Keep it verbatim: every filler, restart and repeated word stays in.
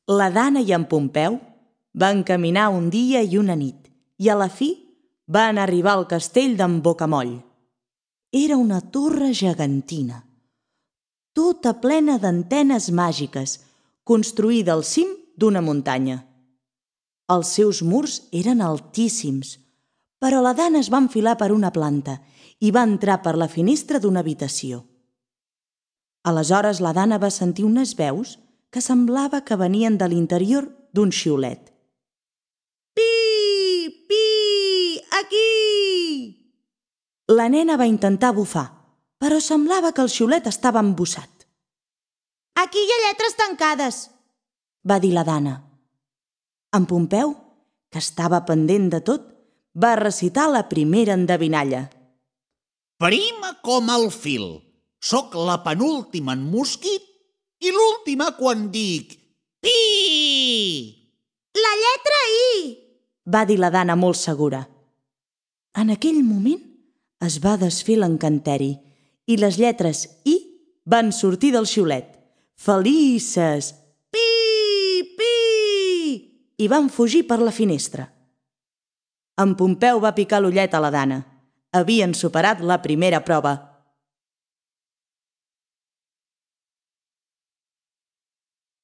La Dana i en Pompeu van caminar un dia i una nit i a la fi van arribar al castell d'en Bocamoll. Era una torre gegantina, tota plena d'antenes màgiques, construïda al cim d'una muntanya. Els seus murs eren altíssims, però la Dana es va enfilar per una planta i va entrar per la finestra d'una habitació. Aleshores la Dana va sentir unes veus que semblava que venien de l'interior d'un xiulet. «Pi! Pi! Aquí!» La nena va intentar bufar, però semblava que el xiulet estava embussat. «Aquí hi ha lletres tancades», va dir la Dana. En Pompeu, que estava pendent de tot, va recitar la primera endevinalla. «Prima com el fil, soc la penúltima en mosquit i l'última quan dic pi!» «La lletra I!», va dir la Dana molt segura. En aquell moment es va desfer l'encanteri i les lletres I van sortir del xiulet, felices, pi, pi, i van fugir per la finestra. En Pompeu va picar l'ullet a la Dana. Havien superat la primera prova.